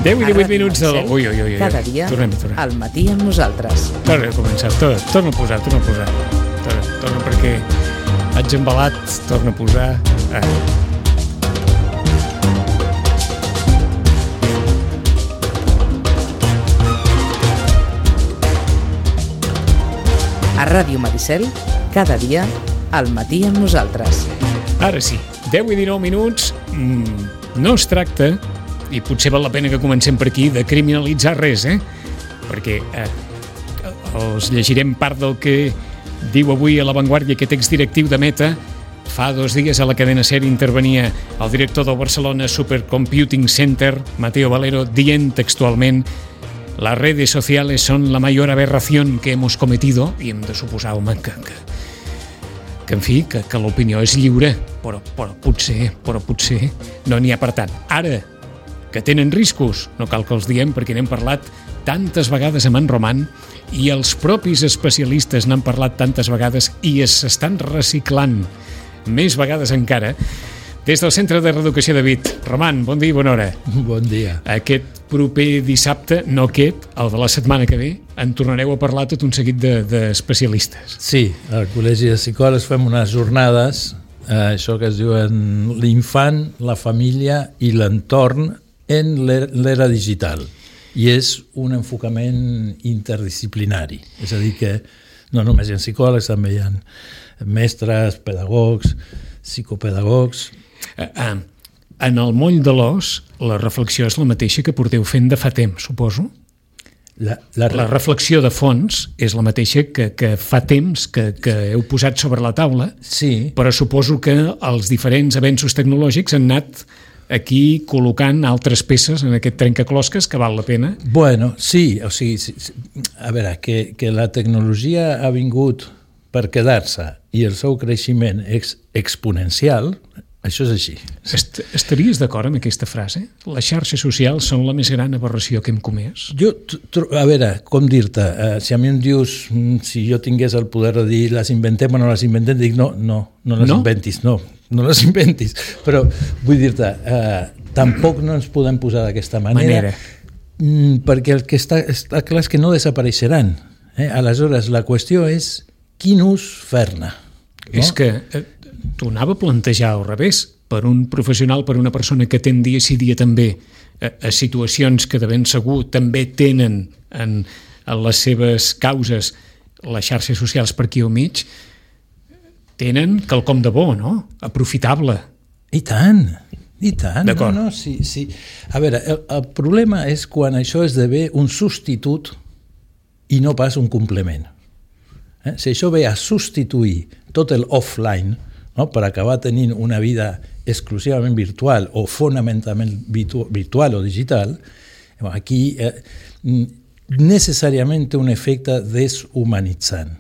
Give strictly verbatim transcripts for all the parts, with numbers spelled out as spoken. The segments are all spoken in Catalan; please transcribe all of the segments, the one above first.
deu i divuit minuts del... Ui, ui, ui, ui. Cada dia, tornem, tornem. al matí amb nosaltres. Torna a començar, torna, torna a posar, torna a posar. Torna, torna perquè haig embalat, torna a posar. Ah. A Ràdio Maricel, cada dia, al matí amb nosaltres. Ara sí, deu i dinou minuts, mm, no es tracta, i potser val la pena que comencem per aquí, de criminalitzar res, eh? Perquè eh, els llegirem part del que diu avui a La Vanguardia aquest exdirectiu de Meta. Fa dos dies a la cadena SER intervenia el director del Barcelona Supercomputing Center, Mateo Valero, dient textualment: las redes sociales son la mayor aberración que hemos cometido, i hem de suposar, home, que, que, que en fi, que, que l'opinió és lliure, però, però potser, però potser no n'hi ha per tant. Ara, que tenen riscos, no cal que els diem perquè n'hem parlat tantes vegades amb en Roman i els propis especialistes n'han parlat tantes vegades i s'estan reciclant més vegades encara. Des del Centre de Reeducació de Vic, Roman, bon dia i bona hora. Bon dia. Aquest proper dissabte, no aquest, el de la setmana que ve, en tornareu a parlar tot un seguit d'especialistes. De, sí, al Col·legi de Psicòlegs fem unes jornades, eh, això que es diuen l'infant, la família i l'entorn en l'era digital. I és un enfocament interdisciplinari. És a dir que no només hi ha psicòlegs, també hi ha mestres, pedagogs, psicopedagogs. Ah, en el moll de l'os, la reflexió és la mateixa que porteu fent de fa temps, suposo? La, la... la reflexió de fons és la mateixa que, que fa temps que, que heu posat sobre la taula, sí. Però suposo que els diferents avenços tecnològics han anat aquí col·locant altres peces en aquest trencaclosques que val la pena. Bueno, sí, o sigui, sí, sí. A veure, que, que la tecnologia ha vingut per quedar-se i el seu creixement és exponencial, això és així. Est estaries d'acord amb aquesta frase? Les xarxes socials són la més gran aberració que hem comès? Jo, a veure, com dir-te, uh, si a mi em dius, si jo tingués el poder de dir les inventem o no les inventem, dic no, no, no les no? inventis, no, no les inventis. Però vull dir-te, uh, tampoc no ens podem posar d'aquesta manera, manera. perquè el que està, està clar és que no desapareixeran. Eh? Aleshores, la qüestió és quin ús fer-ne. No? És que eh, t'ho anava a plantejar al revés, per un professional, per una persona que atén dia sí dia també a, a situacions que de ben segur també tenen en, en les seves causes les xarxes socials per aquí al mig, tenen quelcom de bo, no? Aprofitable. I tant, i tant. D'acord. No, no, sí, sí. A veure, el, el problema és quan això esdevé un substitut i no pas un complement. Eh? Si això ve a substituir tot el offline, no? Per acabar tenint una vida exclusivament virtual o fonamentalment virtu virtual o digital, aquí eh, necessàriament té un efecte deshumanitzant.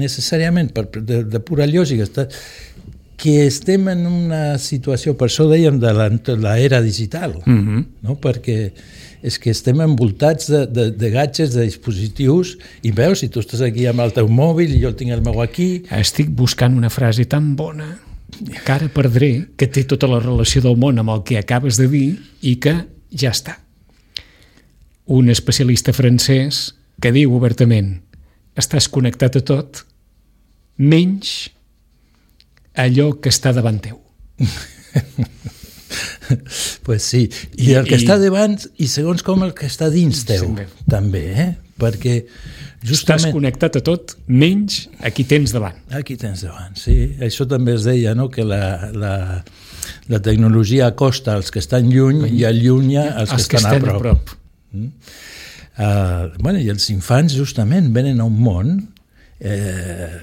Necessàriament, per, de, de pura lògica, està, que estem en una situació, per això dèiem de l'era digital, mm-hmm. no? Perquè és que estem envoltats de, de, de gadgets, de dispositius, i veus, si tu estàs aquí amb el teu mòbil i jo el tinc el meu aquí... Estic buscant una frase tan bona que ara perdré, que té tota la relació del món amb el que acabes de dir i que ja està. Un especialista francès que diu obertament: estàs connectat a tot, menys allò que està davant teu. Pues sí, i, I el que i... està davant i segons com el que està dins teu, sí, també, eh? Perquè justament... Estàs connectat a tot, menys a qui tens davant. A qui tens davant, sí. Això també es deia, no?, que la, la, la tecnologia acosta als que estan lluny i allunya als, als que, que estan, estan a prop. A prop. Mm? Uh, bueno, i els infants justament venen a un món eh,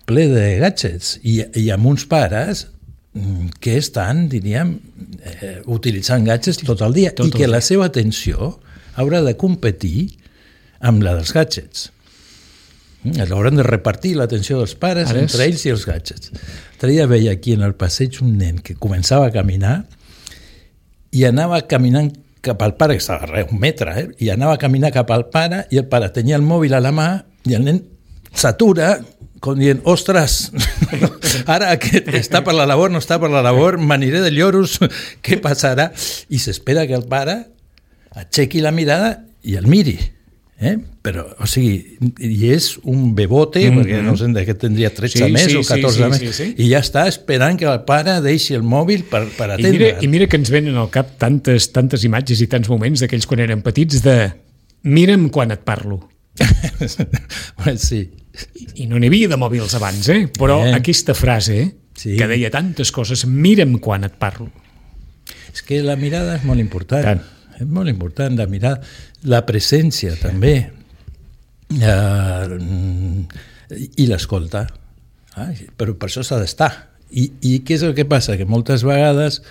ple de gadgets i, i amb uns pares que estan, diríem, eh, utilitzant gadgets tot el dia tot i el que dia. La seva atenció haurà de competir amb la dels gadgets. Hauran de repartir l'atenció dels pares Ara entre és... ells i els gadgets. L'altre dia veia aquí en el passeig un nen que començava a caminar i anava caminant cap al pare, que estava a un metre, eh? i anava a caminar cap al pare i el pare tenia el mòbil a la mà i el nen s'atura, com dient, ostres, ara que està per la labor, no està per la labor, m'aniré de lloros, què passarà? I s'espera que el pare aixequi la mirada i el miri. Eh? Però, o sigui, i és un bebote, mm-hmm. perquè no sé que tindria tretze sí, més sí, o catorze sí, més, sí, sí, sí. i ja està esperant que el pare deixi el mòbil per, per atendre. I mira, I mira que ens venen al cap tantes, tantes imatges i tants moments d'aquells quan eren petits de mira'm quan et parlo. Sí. I, I no n'hi havia de mòbils abans, eh? Però eh. aquesta frase sí. que deia tantes coses, mira'm quan et parlo. És que la mirada és molt important. Tant. És molt important la mirada, la presència també, uh, i l'escolta. Ah, però per això s'ha d'estar. I, I què és el que passa? Que moltes vegades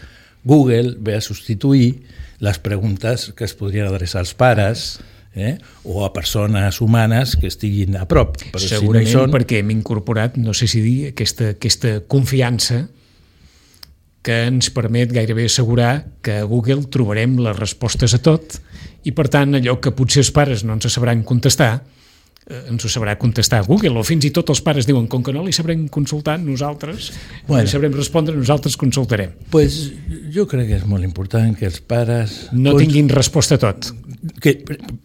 Google ve a substituir les preguntes que es podrien adreçar als pares eh? o a persones humanes que estiguin a prop. Però segurament si no són... perquè hem incorporat, no sé si dir, aquesta, aquesta confiança que ens permet gairebé assegurar que a Google trobarem les respostes a tot i, per tant, allò que potser els pares no ens sabran contestar, eh, ens ho sabrà contestar Google, o fins i tot els pares diuen, com que no li sabrem consultar, nosaltres bueno, li sabrem respondre, nosaltres consultarem. Pues jo crec que és molt important que els pares... No cons... tinguin resposta a tot. Que,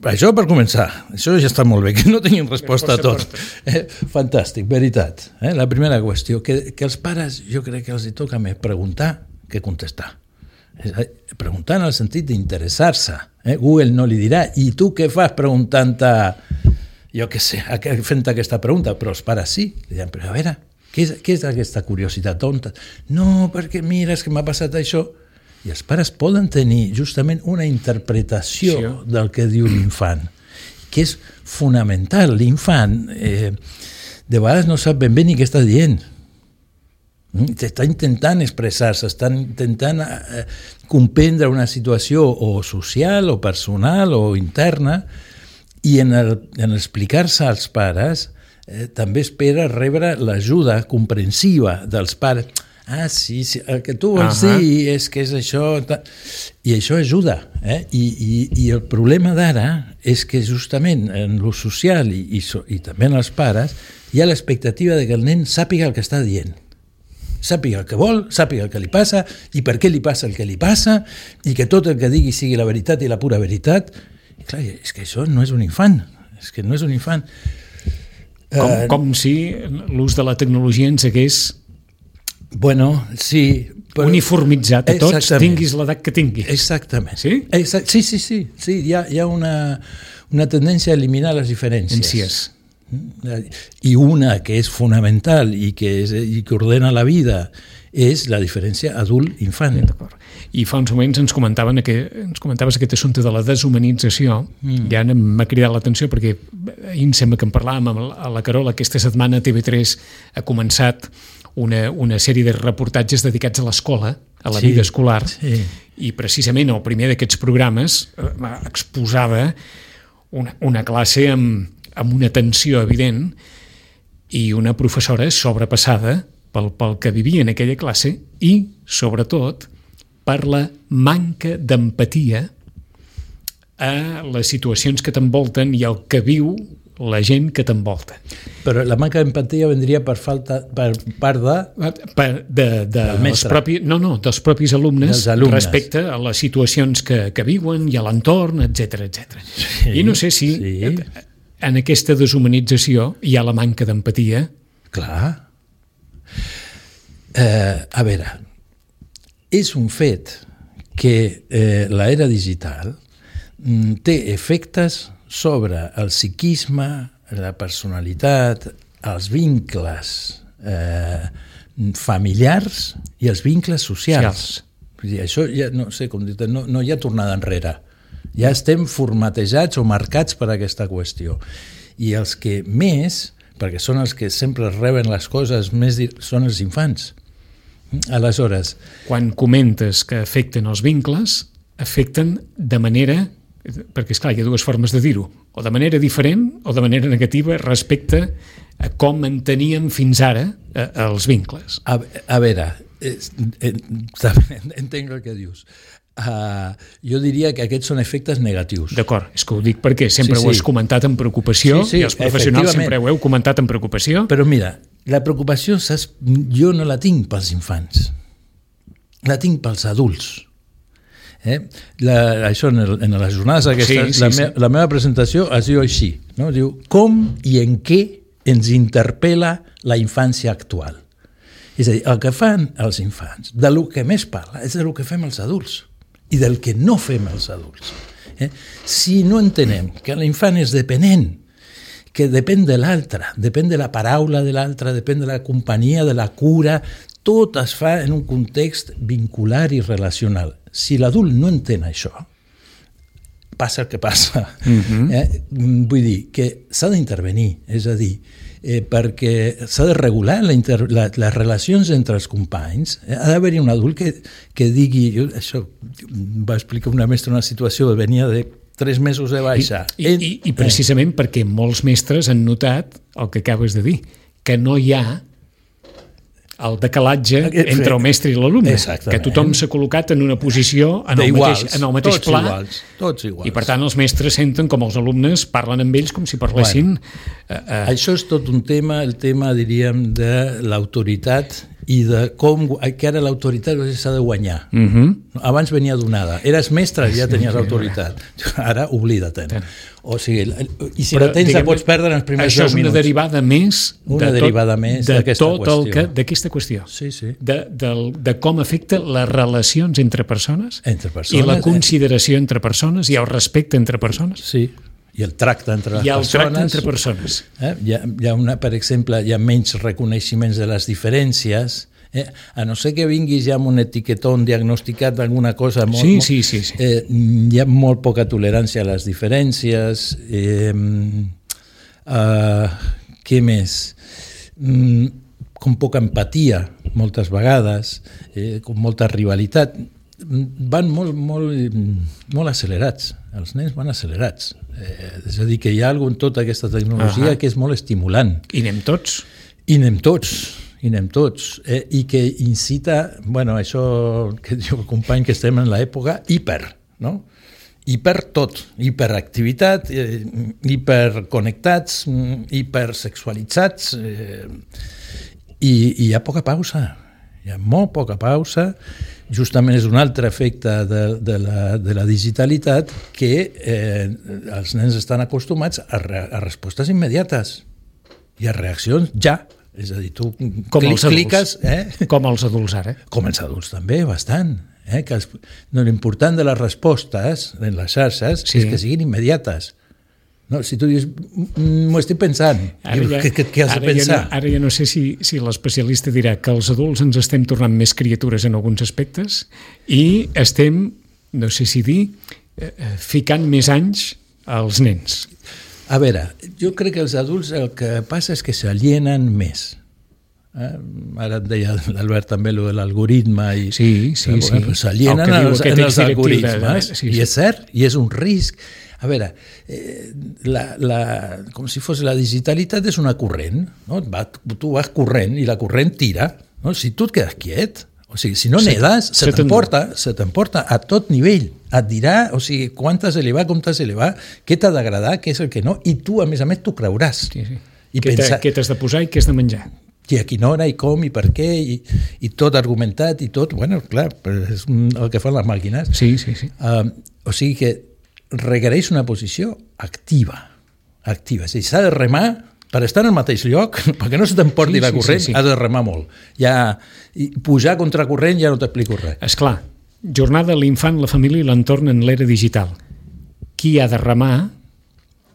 això per començar, això ja està molt bé, que no tinguin resposta, resposta a tot. Eh, fantàstic, veritat. Eh? La primera qüestió, que, que els pares jo crec que els hi toca més preguntar que contestar. Preguntar en el sentit d'interessar-se. Eh? Google no li dirà, i tu què fas preguntant-te, jo què sé, fent aquesta pregunta, però els pares sí. Li diran, però a veure, què és, què és aquesta curiositat tonta? No, perquè mira, és que m'ha passat això. I els pares poden tenir justament una interpretació sí. del que diu l'infant, que és fonamental. L'infant eh, de vegades no sap ben bé ni què està dient. Està intentant expressar-se, està intentant eh, comprendre una situació o social o personal o interna, i en, el, en explicar-se als pares eh, també espera rebre l'ajuda comprensiva dels pares. Ah, sí, sí, el que tu vols uh-huh. dir és que és això... I això ajuda. Eh? I, i, I el problema d'ara és que justament en lo social i, i, i també en els pares hi ha l'expectativa de que el nen sàpiga el que està dient. Sàpiga el que vol, sàpiga el que li passa i per què li passa el que li passa i que tot el que digui sigui la veritat i la pura veritat. I clar, és que això no és un infant. És que no és un infant. Com, uh, com si l'ús de la tecnologia ens hagués... Bueno, sí. Però... uniformitzat a tots, tinguis l'edat que tinguis. Exactament. Sí? Exact, sí, sí, sí. sí hi ha, hi ha una, una tendència a eliminar les diferències. I una que és fonamental i que, és, i que ordena la vida és la diferència adult-infant. D'acord. I fa uns moments ens comentaven que, ens comentaves aquest assumpte de la deshumanització, mm. ja m'ha cridat l'atenció perquè ahir em sembla que en parlàvem a la Carola, aquesta setmana T V tres ha començat una, una sèrie de reportatges dedicats a l'escola, a la sí, vida escolar, sí. I precisament el primer d'aquests programes eh, exposava una, una classe amb, amb una tensió evident i una professora sobrepassada pel, pel que vivia en aquella classe i, sobretot, per la manca d'empatia a les situacions que t'envolten i el que viu la gent que t'envolta. Però la manca d'empatia vendria per falta per part de... Per, de, de els propis, no, no, dels propis alumnes, alumnes respecte a les situacions que, que viuen i a l'entorn, etcètera, etcètera. Sí, I no sé si sí. en aquesta deshumanització hi ha la manca d'empatia. Clar. Eh, a veure, és un fet que eh, l'era digital mm, té efectes sobre el psiquisme, la personalitat, els vincles eh, familiars i els vincles socials. Vull dir, això ja no sé com dir, no, no hi ha tornada enrere. Ja estem formatejats o marcats per aquesta qüestió. I els que més, perquè són els que sempre reben les coses més, són els infants. Aleshores... Quan comentes que afecten els vincles, afecten de manera... perquè, esclar, hi ha dues formes de dir-ho, o de manera diferent o de manera negativa respecte a com enteníem fins ara eh, els vincles. A, a veure, eh, eh, entenc el que dius. Uh, jo diria que aquests són efectes negatius. D'acord, és que ho dic perquè sempre sí, sí. ho has comentat amb preocupació, sí, sí, i els professionals sempre ho heu comentat amb preocupació. Però mira, la preocupació, saps, jo no la tinc pels infants, la tinc pels adults. Eh? La, això en, el, en les jornades aquestes, sí, sí, la, me, sí. la meva presentació es diu així, no? Diu, com i en què ens interpel·la la infància actual. És a dir, el que fan els infants, de lo que més parla, és de lo que fem els adults i del que no fem els adults. Eh? Si no entenem que l'infant és dependent, que depèn de l'altre, depèn de la paraula de l'altre, depèn de la companyia, de la cura, tot es fa en un context vincular i relacional. Si l'adult no entén això, passa el que passa. Mm-hmm. eh? Vull dir que s'ha d'intervenir, és a dir, eh, perquè s'ha de regular la inter, la, les relacions entre els companys. Eh? Ha d'haver-hi un adult que, que digui... Jo, això va explicar una mestra una situació que venia de tres mesos de baixa. I, i, i, i precisament eh. perquè molts mestres han notat el que acabes de dir, que no hi ha el decalatge entre el mestre i l'alumne, que tothom s'ha col·locat en una posició en el mateix, en el mateix tots pla, iguals, tots iguals. I per tant els mestres senten com els alumnes parlen amb ells com si parlessin... Bueno, uh, uh, això és tot un tema, el tema, diríem, de l'autoritat i de com, que ara l'autoritat s'ha de guanyar. Uh-huh. Abans venia donada. Eres mestre i ja tenies autoritat. Ara oblida-te'n. O sigui, i si Però, la tens diguem, la pots perdre en els primers deu minuts. Això és una derivada més una de derivada tot, més de d'aquesta tot qüestió. El que, d'aquesta qüestió. Sí, sí. De, de, de com afecta les relacions entre persones, entre persones i la consideració eh? entre persones i el respecte entre persones. Sí, i el tracte entre les I el persones. tracte entre persones. Eh? Hi ha, hi ha una, per exemple, hi ha menys reconeixements de les diferències. Eh, a no ser que vinguis ja amb un etiquetón diagnosticat d'alguna cosa molt, sí, sí, sí, sí. Eh, hi ha molt poca tolerància a les diferències. eh, uh, què més? Mm, com poca empatia moltes vegades, eh, com molta rivalitat, van molt, molt, molt accelerats, els nens van accelerats, eh, és a dir, que hi ha alguna en tota aquesta tecnologia uh-huh. que és molt estimulant. I anem tots? I anem tots. i anem tots, eh, i que incita, bueno, això que diu el company que estem en l'època hiper, no? Hiper tot, hiperactivitat, eh, hiperconnectats, hipersexualitzats, eh, i, i hi ha poca pausa, hi ha molt poca pausa, justament és un altre efecte de, de, la, de la digitalitat que eh, els nens estan acostumats a, re, a respostes immediates i a reaccions ja. És a dir, tu com clic, els adults, cliques... Eh? Com els adults ara. Com els adults també, bastant. Eh? Que els, no, l'important de les respostes en les xarxes sí. és que siguin immediates. No, si tu dius, m'ho estic pensant, ara ja, què, què has de pensar? Ja no, ara ja no sé si, si l'especialista dirà que els adults ens estem tornant més criatures en alguns aspectes i estem, no sé si dir, eh, ficant més anys als nens. A veure, jo crec que els adults el que passa és que s'alienen més. Eh? Ara et deia l'Albert també lo de l'algoritme i sí, sí, sí. Bueno, s'alienen en els, en els algoritmes de... sí, sí. I és cert, i és un risc. A veure, eh, la, la, com si fos la digitalitat és una corrent, no? Va, tu vas corrent i la corrent tira, no? Si tu et quedes quiet, o sigui, si no sí, nedes, se, se t'emporta, se t'emporta a tot nivell. Et dirà, o sigui, quan t'has d'elevar, com t'has d'elevar, què t'ha d'agradar, què és el que no, i tu, a més a més, t'ho creuràs. Sí, sí. I què pensa... t'has de posar i què has de menjar. I a quina hora, i com, i per què, i, i tot argumentat, i tot, bueno, clar, és el que fan les màquines. Sí, sí, sí. Uh, o sigui que requereix una posició activa, activa. És a dir, s'ha de remar per estar en el mateix lloc, perquè no se t'emporti sí, la corrent, sí, sí, sí. has de remar molt. Ja, i pujar contra corrent ja no t'explico res. Esclar, jornada l'infant, la família i l'entorn en l'era digital. Qui ha de remar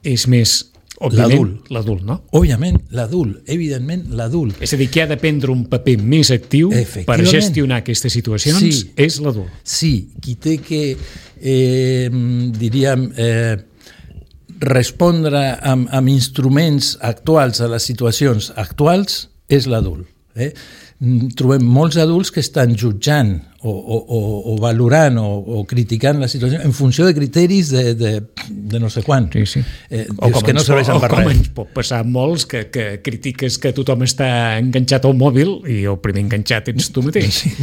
és més, òbviament, l'adult, no? Òbviament, l'adult, evidentment, l'adult. És a dir, qui ha de prendre un paper més actiu per gestionar aquestes situacions sí, és l'adult. Sí, qui té que, eh, diríem... Eh, respondre amb, amb instruments actuals a les situacions actuals és l'adult. Eh? Trobem molts adults que estan jutjant o, o, o valorant o, o criticant la situació en funció de criteris de, de, de no sé quant. Sí, sí. Eh, o com, que no serveixen per res. O com ens pot passar molts que, que critiques que tothom està enganxat al mòbil i el primer enganxat ets tu mateix. Sí.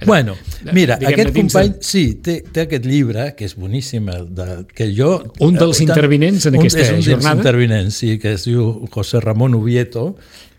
Bueno, mira, aquest company de... sí, té, té aquest llibre que és boníssim, el de, que jo... Un dels eh, intervinents en aquesta jornada? És un dels intervinents, sí, que es diu José Ramón Ubieto,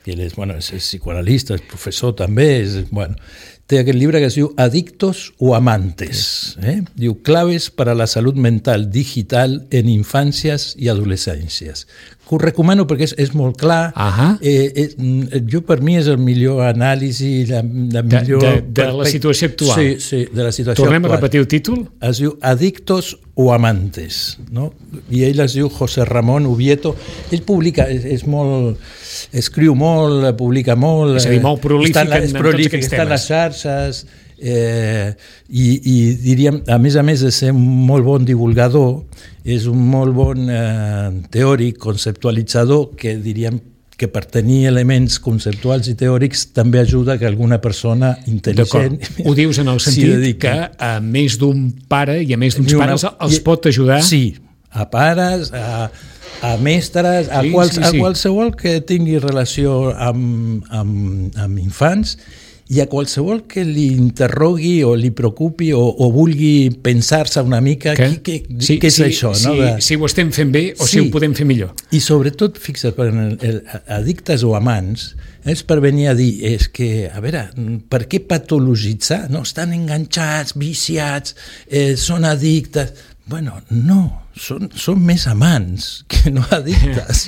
que ell és, bueno, és psicoanalista, és professor també, és, bueno, té aquest llibre que es diu Adictos o Amantes. Eh? Diu Claves para la salud mental digital en infàncies i adolescències. Que ho recomano perquè és, és molt clar. Uh-huh. eh, eh, jo per mi és el millor anàlisi, la, la millor... De, de, de la situació actual. Sí, sí, de la situació Tornem actual. a repetir el títol? Es diu Adictos o Amantes, no? I ell es diu José Ramón Ubieto. Ell publica, és, és molt... escriu molt, publica molt... És a dir, molt prolífic en, en tots aquests està temes. En les xarxes, eh, i, i diríem, a més a més de ser un molt bon divulgador, és un molt bon eh, teòric, conceptualitzador, que diríem que per tenir elements conceptuals i teòrics també ajuda que alguna persona intel·ligent... Ho dius en el sentit que a més d'un pare i a més d'uns pares els pot ajudar... Sí, a pares, a, a mestres, a, sí, quals, sí, sí. a qualsevol que tingui relació amb, amb, amb infants i a qualsevol que li interrogui o li preocupi o, o vulgui pensar-se una mica què, què, sí, què és sí, això. Sí, no? De... Si ho estem fent bé o sí. si ho podem fer millor. I sobretot, fixa't, per el, el, addictes o amants, és per venir a dir, és que, a veure, per què patologitzar? No, estan enganxats, viciats, eh, són addictes... Bueno, no, són, són més amants que no addictes.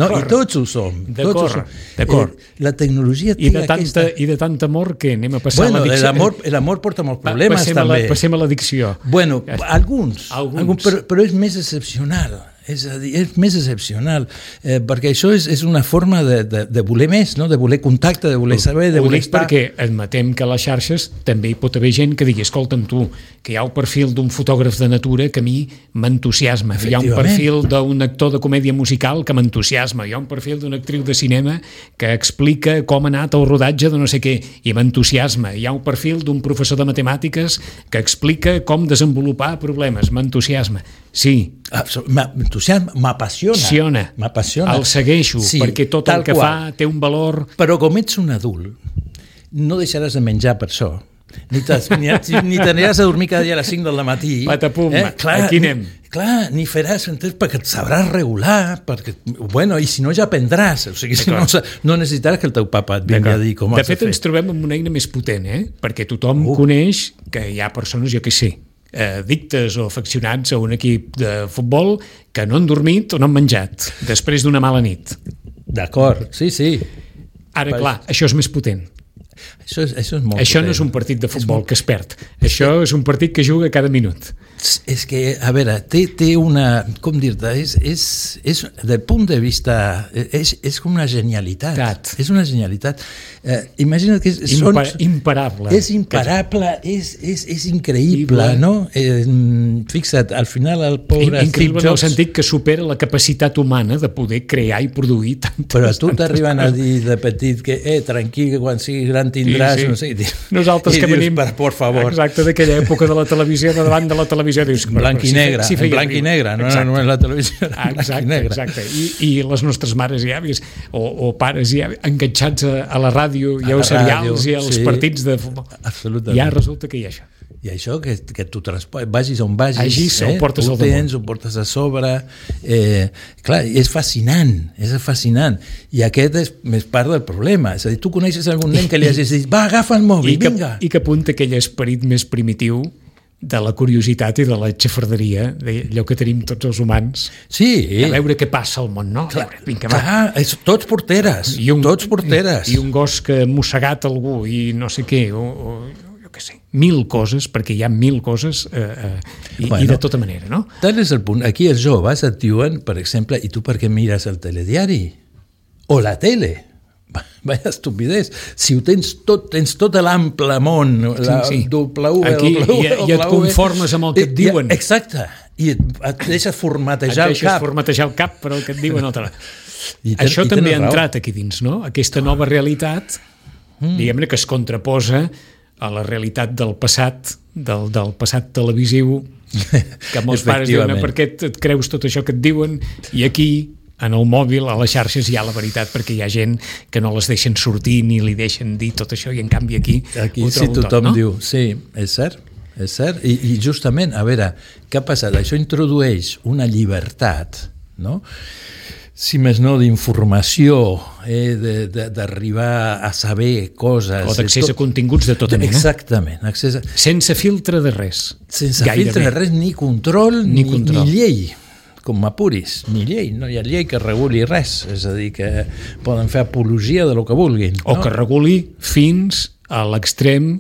No? I tots ho som. Tots ho som. D'acord. Eh, la tecnologia té I de, tanta, aquesta... I de tant amor que anem a passar bueno, a l'addicció. L'amor, l'amor porta molts problemes, passem també. A la, passem a l'addicció. Bueno, alguns, alguns. alguns però, però és més excepcional. És a dir, és més excepcional, eh, perquè això és, és una forma de, de, de voler més, no? De voler contacte, de voler saber, de ho voler dic estar... perquè admetem que a les xarxes també hi pot haver gent que digui, escolta'm tu, que hi ha un perfil d'un fotògraf de natura que a mi m'entusiasma, hi ha un perfil d'un actor de comèdia musical que m'entusiasma, hi ha un perfil d'una actriu de cinema que explica com ha anat el rodatge de no sé què i m'entusiasma, hi ha un perfil d'un professor de matemàtiques que explica com desenvolupar problemes, m'entusiasma. Sí. M'entusiasma, m'apassiona. M'apassiona. El segueixo, sí, perquè tot el que qual. fa té un valor... Però com ets un adult, no deixaràs de menjar per això. Ni, ni, ni t'aniràs a dormir cada dia a les cinc del matí. Patapum, eh? Clar, aquí anem. Ni, clar, ni faràs, entens, perquè et sabràs regular, perquè, bueno, i si no ja aprendràs, o sigui, si no, no necessitaràs que el teu papa et vingui a dir com has de fer. De fet, ens trobem amb una eina més potent, eh? Perquè tothom uh. coneix que hi ha persones, jo què sé, addictes o afeccionats a un equip de futbol que no han dormit o no han menjat després d'una mala nit. D'acord, sí, sí. Ara, clar, això és més potent. Això és, això és molt això potent. No és un partit de futbol molt... que es perd. Això és un partit que juga cada minut. És que, a veure, té, té una... Com dir-te? És, és, és, del punt de vista... És, és com una genialitat. Tat. És una genialitat. Eh, imagina't que... És, Impa són, imparable. És imparable, és, és, és increïble, no? Eh, fixa't, al final el pobre... Increïble en el sentit que supera la capacitat humana de poder crear i produir tantes... Però a tu t'arriben a dir de petit que, eh, tranquil, que quan siguis gran tindràs... Sí, sí. No sé, nosaltres que venim... Per, por favor. Exacte, d'aquella època de la televisió, de davant de la televisió, dius, en blanc i negre, si, si en blanc i negre, no, no és la televisió, ah, exacte, exacte. I, i les nostres mares i àvies o, o pares i àvies enganxats a, a la ràdio i als serials i als sí, partits de futbol. Absolutament. Ja resulta que hi ha això. I això, que, que tu transportes, vagis on vagis, Agis, eh? ho portes ho al damunt. tens, ho portes a sobre, eh, clar, és fascinant, és fascinant, i aquest és més part del problema, és a dir, tu coneixes algun nen que li hagis dit, va, agafa el mòbil, I que, vinga. I que apunta aquell esperit més primitiu de la curiositat i de la xafarderia, allò que tenim tots els humans, sí. a veure què passa al món, no? Clar, veure, vinga, clar és, tots porteres, I un, tots porteres. I, I un gos que ha mossegat algú i no sé què, o, o jo què sé, mil coses, perquè hi ha mil coses eh, eh, i, bueno, i de tota manera, no? Tal és el punt. Aquí els joves et diuen, per exemple, i tu per què mires el telediari? O la tele? Vaya estupidez. Si ho tens tot, tens tot l'ample món, la sí, sí. doble U, aquí, doble U, i, i et conformes amb el que et diuen. I, exacte. I et, et deixes formatejar et el cap. Et formatejar el cap per el que et diuen altre. I ten, Això i també ha entrat aquí dins, no? Aquesta nova realitat, mm. diguem-ne, que es contraposa a la realitat del passat, del, del passat televisiu, que molts pares diuen, per què et creus tot això que et diuen? I aquí, en el mòbil, a les xarxes, hi ha la veritat, perquè hi ha gent que no les deixen sortir ni li deixen dir tot això, i en canvi aquí, aquí ho sí, trobo tothom tot, no? diu, sí, és cert, és cert. I, I justament, a veure, què ha passat? Això introdueix una llibertat, no?, si més no, d'informació, eh, d'arribar a saber coses... O d'accés a continguts de tota mena. Exactament. Accés a... Sense filtre de res. Sense gairebé. Filtre de res, ni control, ni, ni, control. Ni llei, com m'apuris, ni llei. No hi ha llei que reguli res, és a dir, que poden fer apologia de lo que vulguin. O no? que reguli fins a l'extrem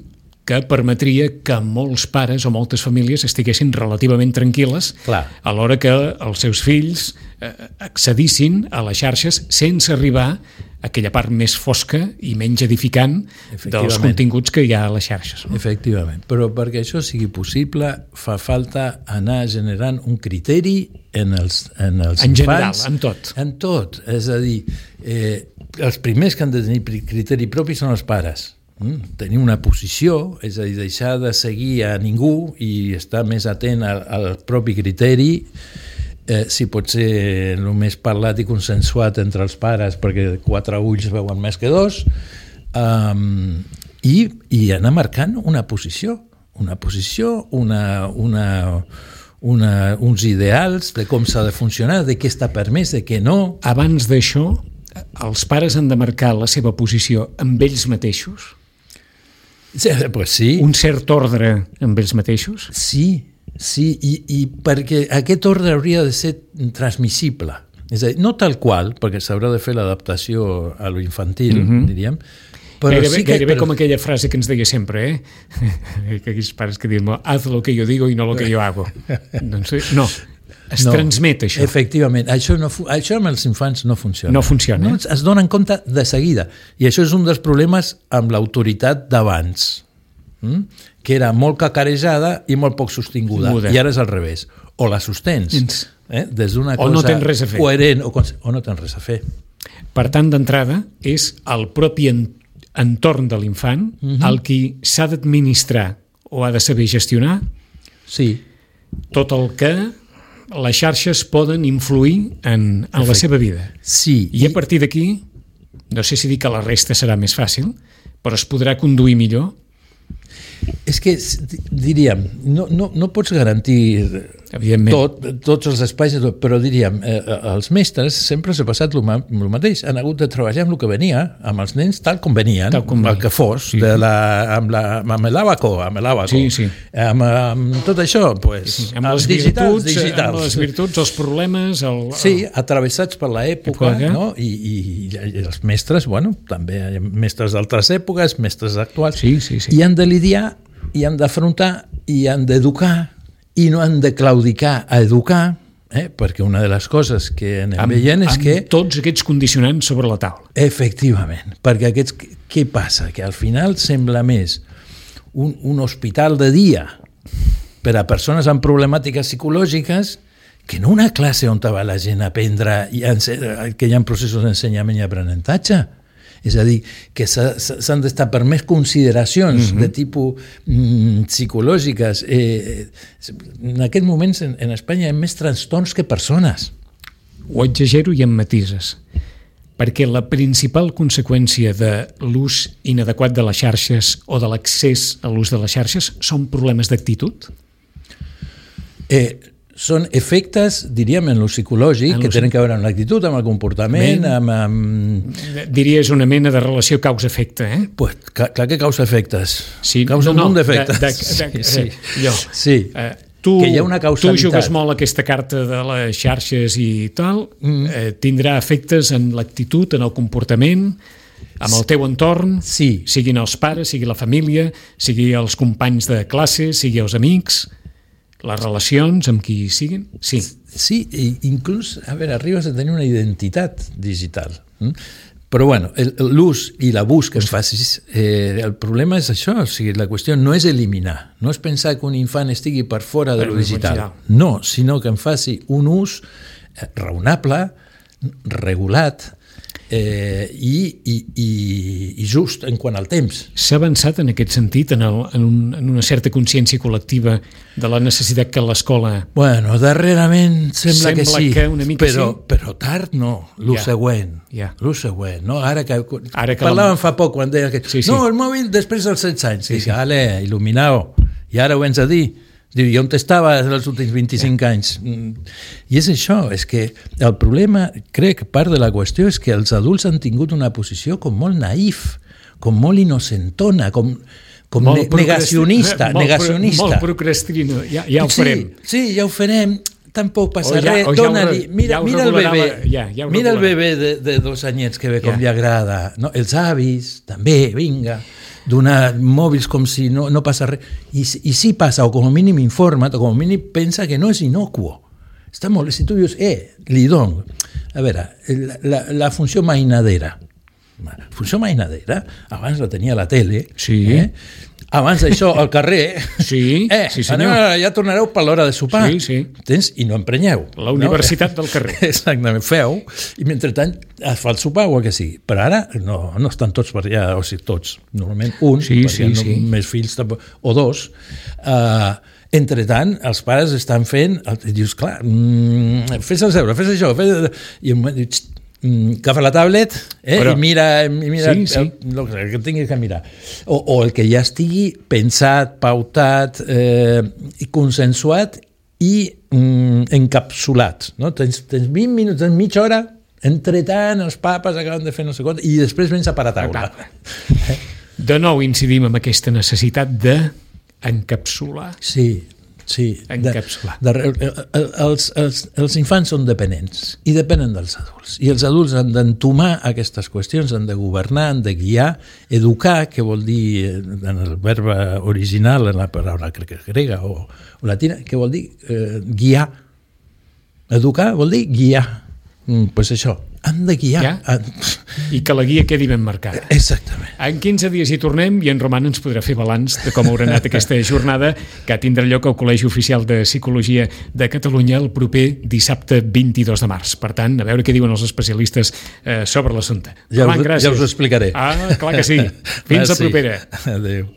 que permetria que molts pares o moltes famílies estiguessin relativament tranquil·les Clar. a l'hora que els seus fills eh, accedissin a les xarxes sense arribar a aquella part més fosca i menys edificant dels continguts que hi ha a les xarxes. No? Efectivament, però perquè això sigui possible fa falta anar generant un criteri en els, en els en infants. En general, en tot. En tot, és a dir, eh, els primers que han de tenir criteri propi són els pares. Mm, tenir una posició, és a dir, deixar de seguir a ningú i estar més atent al, al propi criteri, eh, si pot ser el més parlat i consensuat entre els pares, perquè quatre ulls veuen més que dos, um, i, i anar marcant una posició, una posició, una, una, una, uns ideals de com s'ha de funcionar, de què està permès, de què no. Abans d'això, els pares han de marcar la seva posició amb ells mateixos? Sí, pues sí. Un cert ordre amb ells mateixos? Sí, sí, i, i perquè aquest ordre hauria de ser transmissible. És a dir, no tal qual, perquè s'haurà de fer l'adaptació a lo infantil, mm-hmm. diríem, però gairebé, sí que... Gairebé però... com aquella frase que ens deia sempre, eh? Que aquells pares que diuen, haz lo que yo digo y no lo que yo hago. Doncs no, es no, transmet això. Efectivament, això, no, això amb els infants no funciona. No funciona. No, es donen compte de seguida. I això és un dels problemes amb l'autoritat d'abans, hm? que era molt cacarejada i molt poc sostinguda. Muda. I ara és al revés. O la sostens, eh? des d'una cosa no tens res a fer. coherent, o, o no tens res a fer. Per tant, d'entrada, és el propi entorn de l'infant uh-huh. el qui s'ha d'administrar o ha de saber gestionar sí. tot el que les xarxes poden influir en, en la seva vida. Sí. I a partir d'aquí, no sé si dir que la resta serà més fàcil, però es podrà conduir millor. És que, diríem, no, no, no pots garantir tot, tots els espais, però diríem, eh, els mestres sempre s'ha passat el mateix, han hagut de treballar amb el que venia, amb els nens tal com venien, tal com el que fos, sí. de la, amb, la, amb l'àbaco, amb l'àbaco, sí, sí. amb, amb tot això, pues, sí, amb, les digitals, virtuts, digitals. amb les virtuts, els problemes... El, el... Sí, atravessats per l'època, no? I, i, i els mestres, bueno, també hi ha mestres d'altres èpoques, mestres actuals, sí, sí, sí. i han de lidiar i han d'afrontar i han d'educar i no han de claudicar a educar, eh? perquè una de les coses que anem amb, veient és amb que... tots aquests condicionants sobre la taula. Efectivament, perquè aquests... Què passa? Que al final sembla més un, un hospital de dia per a persones amb problemàtiques psicològiques que no una classe on va la gent a aprendre i a, que hi ha processos d'ensenyament i aprenentatge. És a dir, que s'han d'estar per més consideracions mm-hmm. de tipus mm, psicològiques. Eh, en aquest moment en, en Espanya hi ha més trastorns que persones. Ho exagero i em matises, perquè la principal conseqüència de l'ús inadequat de les xarxes o de l'accés a l'ús de les xarxes són problemes d'actitud? Eh, són efectes, diríem, en lo psicològic, en que lo tenen que veure amb l'actitud, amb el comportament, amb, amb... Diries una mena de relació causa-efecte, eh? Pues, clar que causa efectes. Sí, causa no, un munt no, d'efectes. De, de, de, sí, sí. Jo, sí. Eh, tu, que hi ha una causalitat. Tu jugues molt aquesta carta de les xarxes i tal, mm. eh, tindrà efectes en l'actitud, en el comportament, amb el teu entorn, sí. siguin els pares, sigui la família, sigui els companys de classe, sigui els amics... les relacions amb qui siguin? Sí. Sí, i inclús, a veure, arribes a tenir una identitat digital. Però, bueno, l'ús i l'abús que es facis, eh, el problema és això, o sigui, la qüestió no és eliminar, no és pensar que un infant estigui per fora de lo digital. No, sinó que en faci un ús raonable, regulat, eh, i, i, i, i just en quant al temps. S'ha avançat en aquest sentit, en, el, en, un, en una certa consciència col·lectiva de la necessitat que l'escola... Bueno, darrerament sembla, sembla que sí, que una mica però, sí. però tard no, el ja. següent. Ja. El següent, no? Ara que, Ara que parlàvem la... fa poc quan deia que sí, sí. no, el mòbil després dels setze anys. Sí, Dic, sí. ale, il·luminau, i ara ho vens a dir. Diu, i on t'estava els últims vint-i-cinc ja. anys? I és això, és que el problema, crec que part de la qüestió és que els adults han tingut una posició com molt naïf, com molt innocentona, com, com ne negacionista. Molt, negacionista. molt procrastino, ja, ja ho farem. Sí, sí, ja ho farem, tampoc passa ja, res, ja dona-li, mira, ja mira el bebè, ja, ja mira el bebè de, de dos anyets que ve com ja. li agrada, no? Els avis, també, vinga, donar mòbils com si no, no passa res, i, i sí passa, o com a mínim informa't, o com a mínim pensa que no és inocuo. Està molt, si tu dius, eh, li dono, a veure, la, la, la funció mainadera, la funció mainadera, abans la tenia a la tele, sí. eh? Abans d'això, al carrer, sí, eh, sí senyor. Anem, ja tornareu per l'hora de sopar. Sí, sí. Tens? I no emprenyeu. La universitat no? del carrer. Exactament, feu, i mentrestant es fa el sopar o el que sigui. Però ara no, no estan tots per allà, o sigui, tots. Normalment un, sí, perquè sí, no, sí. més fills tampoc, o dos. Uh, entretant, els pares estan fent, i dius, clar, mm, fes el deure, fes això, fes... I em dius, agafa la tablet eh, Però, i mira, i mira sí, sí. El, el que tinguis que mirar. O, o el que ja estigui pensat, pautat, eh, i consensuat i mm, encapsulat. No? Tens, tens vint minuts, tens mitja hora, entretant els papes acaben de fer no sé quant, i després vens a parar taula. De nou incidim en aquesta necessitat de encapsular. Sí, sí. Encapsular. De, de, els, els, els infants són dependents i depenen dels adults. I els adults han d'entomar aquestes qüestions, han de governar, han de guiar, educar, que vol dir, en el verb original, en la paraula grega o, o latina, que vol dir eh, guiar. Educar vol dir guiar. Doncs pues això, han de guiar. Ja? I que la guia quedi ben marcada. Exactament. En quinze dies hi tornem i en Roman ens podrà fer balanç de com haurà anat aquesta jornada que tindrà lloc al Col·legi Oficial de Psicologia de Catalunya el proper dissabte vint-i-dos de març. Per tant, a veure què diuen els especialistes eh, sobre l'assumpte. Ja, Roman, gràcies. Ja us ho explicaré. Ah, clar que sí. Fins la propera. Adéu.